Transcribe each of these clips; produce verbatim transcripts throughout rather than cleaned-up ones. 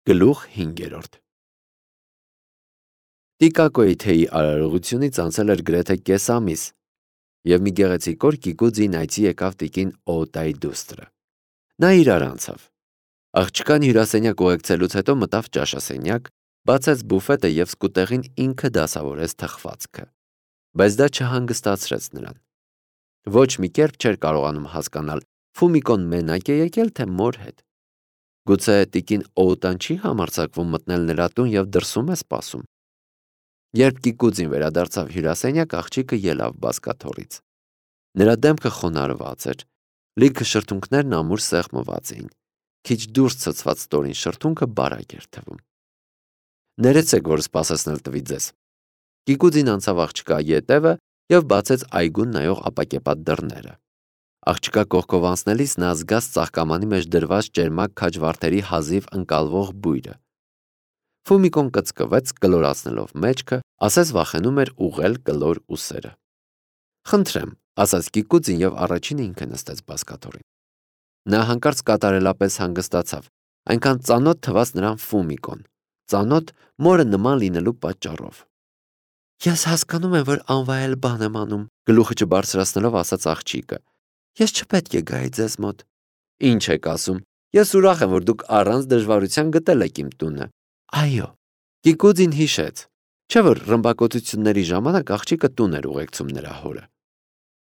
Գլուխ հինգերորդ Տիկակոյի թեյի արարողությունից անցել էր գրեթե կես ամիս, և մի գեղեցիկ օր Կիկուձին այցի եկավ տիկին Օոտայի դուստրը։ Նա իրար անցավ։ Աղջկան հյուրասենյակ ուղեկցելուց հետո մտավ ճաշասենյակ, բացեց բուֆետը և սկուտեղին ինքը դասավորեց թխվածքը, բայց դա չհանգստացրեց նրան։ Ոչ մի կերպ չէր կարողանում հասկանալ Ֆումիկոն մենակ է եկել, թե մոր հետ։ Գուցե տիկին Օոտան չի համարձակվում մտնել նրա տուն և դրսում է սպասում։ Երբ Կիկուձին վերադարձավ հյուրասենյակ, աղջիկը ելավ բազկաթոռից։ Նրա դեմքը խոնարհված էր, լիքը շրթունքներն ամուր սեղմված էին, քիչ դուրս ցցված ստորին շրթունքը բարակ էր թվում։ Ներեցեք, որ սպասեցնել տվի ձեզ։ Կիկուձին անցավ աղջկա ետևը և բացեց այգուն նայող ապակեպատ դռները։ Աղջկա կողքով անցնելիս նա զգաց ծաղկամանի մեջ դրված ճերմակ քաջվարդերի հազիվ ընկալվող բույրը։ Ֆումիկոն կծկվեց, կլորացնելով մեջքը, ասես վախենում էր ուղղել կլոր ուսերը։ Խնդրեմ, ասաց Կիկուձին և առաջինը ինքը նստեց բազկաթոռին։ Նա հանկարծ կատարելապես հանգստացավ, այնքան ծանոթ թվաց նրան Ֆումիկոն, ծանոթ մորը նման լինելու պատճառով։ Ես հասկանում եմ, որ անվայել բան եմ անում, գլուխը չբարձրացնելով ասաց աղջիկը։ Ես չպետք է գայի ձեզ մոտ։ Ինչ եք ասում, ես ուրախ եմ, որ դուք առանց դժվարության գտել եք իմ տունը։ Այո։ Կիկուձին հիշեց, չէ՞ որ ռմբակոծությունների ժամանակ աղջիկը տուն էր ուղեկցում նրա հորը։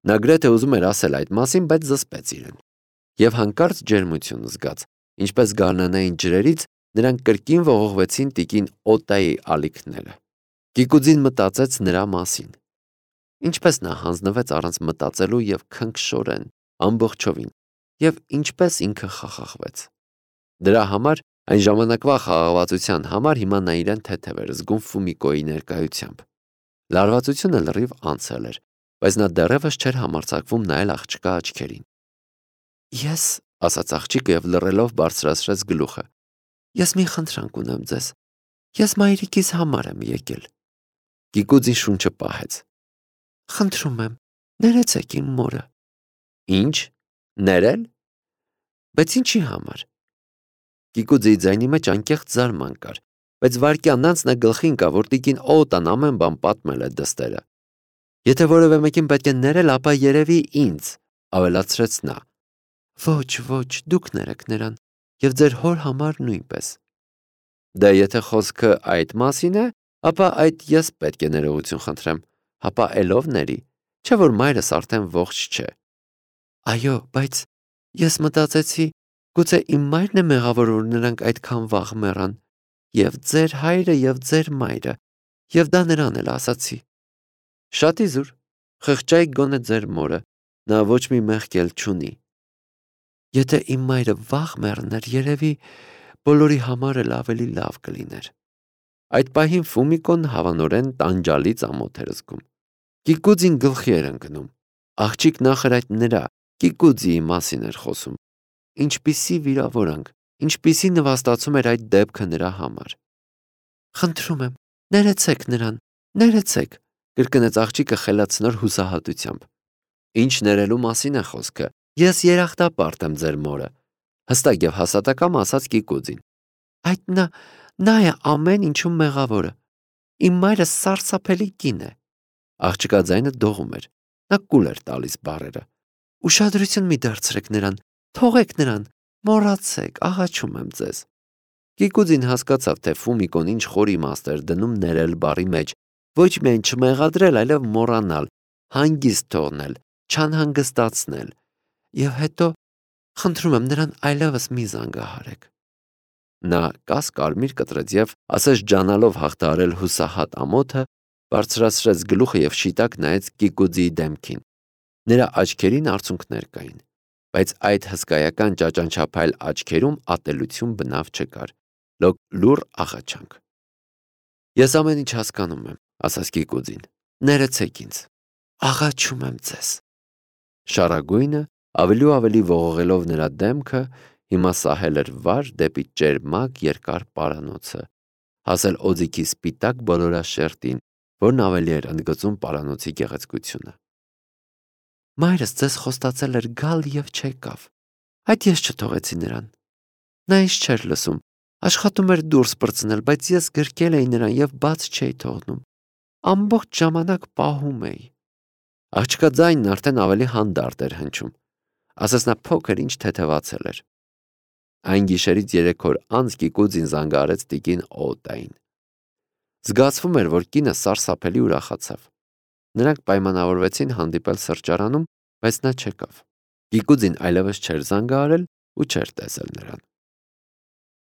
Նա գրեթե ուզում էր ասել այդ մասին, բայց զսպեց իրեն։ Եվ հանկարծ ջերմություն զգաց, ինչպես գարնանային ջրերից նրան կրկին ողողվեցին տիկին Օտայի ալիքները։ Կիկուձին մտածեց նրա մասին։ Ինչպես նա հանձնվեց առանց մտածելու և քնքշորեն, ամբողջովին, և ինչպես ինքը խախախվեց։ Դրա համար, այն ժամանակվա խաղաղվածության համար հիմա նա իրեն թեթև էր զգում Ֆումիկոյի ներկայությամբ։ Լարվածությունը լրիվ անցել էր, բայց նա դեռևս չէր համարձակվում նայել աղջկա աչքերին։ Ես, ասաց աղջիկը և լռելով բարձրացրեց գլուխը, ես մի խնդրանք ունեմ ձեզ։ Ես մայրիկիս համար եմ եկել։ Կիկուձին շունչը պահեց։ Խնդրում եմ, ներեցեք իմ մորը։ Ինչ, ներել։ Բայց ինչի համար։ Կիկուձիի ձայնի մեջ անկեղծ զարման կար, բայց վայրկյան անց նա գլխի ընկավ, որ տիկին Օոտան ամեն բան պատմել է դստերը։ Եթե որևէ մեկին պետք է ներել, ապա երևի ինձ, ավելացրեց նա։ Ոչ, ոչ, դուք ներեք նրան, և ձեր հոր համար նույնպես։ Դե եթե խոսքը այդ մասին է, ապա այդ ես պետք է ներողություն խնդրեմ, հապա էլով ների, չէ՞ որ մայրս արդեն ողջ չէ։ Այո, բայց ես մտածեցի, գուցե իմ մայրն է մեղավոր, որ նրանք այդքան վաղ մեռան, և ձեր հայրը, և ձեր մայրը, և դա նրան էլ ասացի։ Շատ իզուր, խղճայի գոնե ձեր մորը, նա ոչ մի մեղք էլ չունի։ Եթե իմ մայրը վաղ մեռներ, երևի բոլորի համար էլ ավելի լավ կլիներ։ Այդ պահին Ֆումիկոն հավանորեն տանջալից ամոթ էր զգում։ Կիկուձին գլխի էր ընկնում։ Աղջիկ նախր այդ նրա, Կիկուձիի մասին էր խոսում։ Ինչպիսի վիրավորանք, ինչպիսի նվաստացում էր այդ դեպքը նրա համար։ Խնդրում եմ, ներեցեք նրան, ներեցեք, կրկնեց աղջիկը խելացնոր հուսահատությամբ։ Ինչ ներելու մասին է խոսքը։ Ես երախտապարտ եմ ձեր մորը, հստակ և հաստատակամ ասաց Կիկուձին։ Այդ նա, նա է ամեն ինչում մեղավորը։ Իմ մայրը սարսափելի կին է։ Աղջկա ձայնը դողում էր։ Նա կուլ էր տալիս բառերը։ Ուշադրություն մի դարձրեք նրան, թողեք նրան, մոռացեք, աղաչում եմ ձեզ։ Կիկուձին հասկացավ, թե Ֆումիկոն ինչ խոր իմաստ էր դնում ներել բառի մեջ, ոչ միայն չմեղադրել, այլև մոռանալ, հանգիստ թողնել, չանհանգստացնել։ Եվ հետո, խնդրում եմ նրան այլևս մի զանգահարեք։ Նա կաս-կարմիր կտրեց և, ասես ջանալով հաղթահարել հուսահատ ամոթը, բարձրացրեց գլուխը և շիտակ նայեց Կիկուձիի դեմքին։ Նրա աչքերին արցունքներ կային, բայց այդ հսկայական ճաճանչափայլ աչքերում ատելություն բնավ չկար, լուռ աղաչանք։ Ես ամեն ինչ հասկանում եմ, ասաց Կիկուձին։ Ներեցեք ինձ։ Աղաչում եմ ձեզ։ Շառագույնը, ավելի ու ավելի ողողելով նրա դեմքը, հիմա սահել էր վար դեպի ճերմակ երկար պարանոցը, հասել օձիքի սպիտակ բոլորաշերտին, որն ավելի էր ընդգծում պարանոցի գեղեցկությունը։ Մայրս ձեզ խոստացել էր գալ և չեկավ։ Այդ ես չթողեցի նրան։ Նա ինձ չէր լսում, Աշխատում էր դուրս պրծնել, բայց ես գրկել էի նրան եւ բաց չէի թողնում։ Ամբողջ ժամանակ պահում էի։ Աղջկա ձայնն արդեն ավելի հանդարտ էր հնչում, ասես նա փոքր ինչ թեթևացել էր։ Այն գիշերից երեք օր անց Կիկուձին զանգահարեց տիկին Օտային։ Զգացվում էր, որ կինը սարսափելի ուրախացավ։ Նրանք պայմանավորվեցին հանդիպել սրճարանում, բայց նա չեկավ։ Կիկուձին այլևս չէր զանգահարել ու չէր տեսել նրան։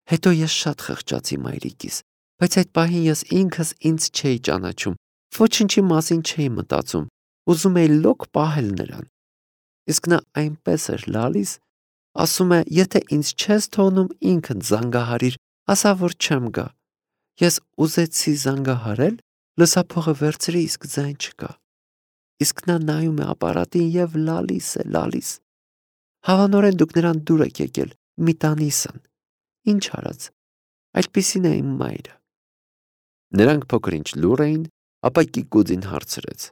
Հետո ես շատ խղճացի մայրիկիս, բայց այդ պահին ես ինքս ինձ չէի ճանաչում, ոչինչի մասին չէի մտածում, ուզում էի լոկ պահել նրան։ Իսկ նա այնպես էր լալիս, ասում է, եթե ինձ չես թողնում ինքդ զանգահարիր, ասա, որ չեմ գա։ Ես ուզեցի զանգահարել, լսափողը վերցրի, իսկ ձայն չկա։ Իսկ նա նայում է ապարատին եւ լալիս է, լալիս։ Հավանորեն դուք նրան դուր եք եկել, մի տանիսն։ Ինչ արած, այդպիսին է իմ մայրը։ Նրանք փոքր ինչ լուռ էին, ապա Կիկուձին հարցրեց.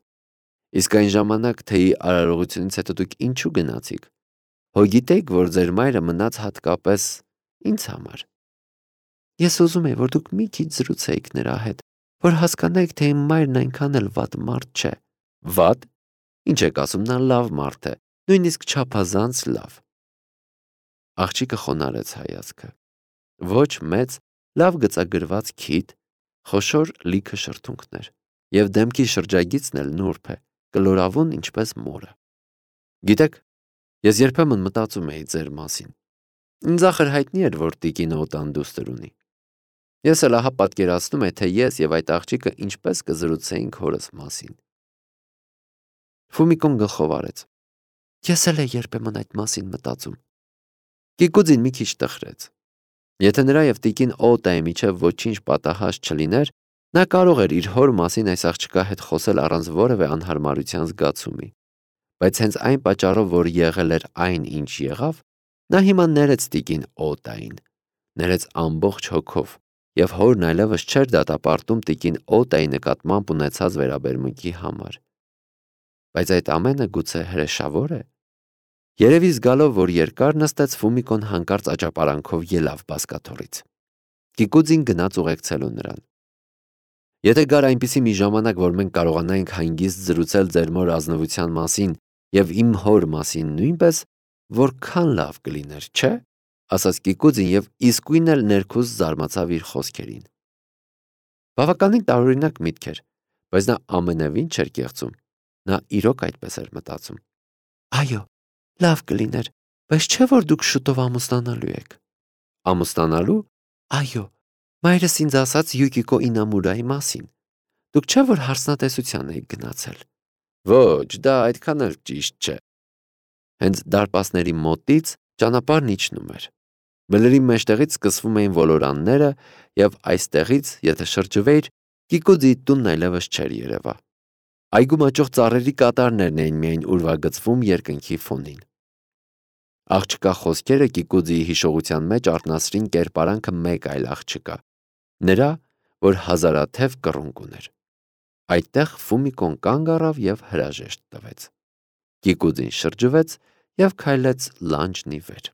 Իսկ այն ժամանակ թեյի արարողությունից հետո դուք ինչու գնացիք։ Հո գիտեիք, որ ձեր մայրը մնաց հատկապես ինձ համար։ Ես ուզում եի, որ դուք մի քիչ զրուցեիք նրա հետ, որ հասկանայիք, թե իմ մայրն այնքան էլ վատ մարդ չէ։ Վատ։ Ինչ եք ասում, նա լավ մարդ է, նույնիսկ չափազանց լավ։ Աղջիկը խոնարհեց հայացքը։ Ոչ մեծ, լավ գծագրված քիթ, խոշոր լիքը շրթունքներ, եւ դեմքի շրջագիծն էլ նուրբ է, կլորավուն ինչպես մորը։ Գիտեք, ես երբեմն մտածում էի ձեր մասին։ Ինձ ախր հայտնի էր, որ տիկին Օտան դուստր ունի։ Ես էլ ահա պատկերացնում եմ, թե ես եւ այդ աղջիկը ինչպես կզրուցեինք հորս մասին։ Ֆումիկոն գլխով արեց։ Ես էլ եմ երբեմն այդ մասին մտածում։ Կիկուձին մի քիչ տխրեց։ Եթե նրա եւ տիկին Օտայի միջև ոչինչ պատահած չլիներ, նա կարող էր իր հոր մասին այս աղջկա հետ խոսել առանց որևէ անհարմարության զգացումի։ Բայց հենց այն պատճառով, որ եղել էր այն, ինչ եղավ, նա հիմա ներեց տիկին Օտային, ներեց ամբողջ հոգով, եւ հորն այլևս չէր դատապարտում տիկին Օտայի նկատմամբ ունեցած վերաբերմունքի համար։ Բայց այդ ամենը գուցե հրեշավոր է։ Երևի զգալով, որ երկար նստեց, Ֆումիկոն հանկարծ աճապարանքով ելավ բազկաթոռից։ Կիկուձին գնաց ուղեկցելու նրան։ Եթե գար այնպիսի մի ժամանակ, որ մենք կարողանայինք հանգիստ զրուցել ձեր մոր ազնվության մասին եւ իմ հոր մասին նույնպես, որքան լավ կլիներ, չէ՞, ասաց Կիկուձին եւ իսկույն էլ ներքուս զարմացավ իր խոսքերին։ Բավականին տարօրինակ միտք էր, բայց նա ամենևին չէր կեղծում։ Նա իրոք այդպես էր մտածում։ Այո, լավ կլիներ, բայց չէ՞ որ դուք շուտով ամուսնանալու եք։ Ամուսնանալու։ Այո, մայրս ինձ ասաց Յուկիկո Ինամուրայի մասին։ Դուք չէ՞ որ հարսնատեսության եք գնացել։ Ոչ, դա այդքան էլ ճիշտ չէ։ Հենց դարպասների մոտից ճանապարհն իջնում էր։ Բլրի մեջտեղից սկսվում էին ոլորանները, եւ այստեղից, եթե շրջվեիր, Կիկուձի տունն այլևս չէր երևա։ Այգու մաճող ծառերի կատարներն էին միայն ուրվագծվում երկնքի ֆոնին։ Աղջկա խոսքերը Կիկուձիի հիշողության մեջ արթնացրին կերպարանքը մեկ այլ աղջկա, նրա, որ հազարաթև կռունկ ուներ։ Այդտեղ Ֆումիկոն կանգ առավ եւ հրաժեշտ տվեց։ Կիկուձին շրջվեց եւ քայլեց լանջն ի վեր։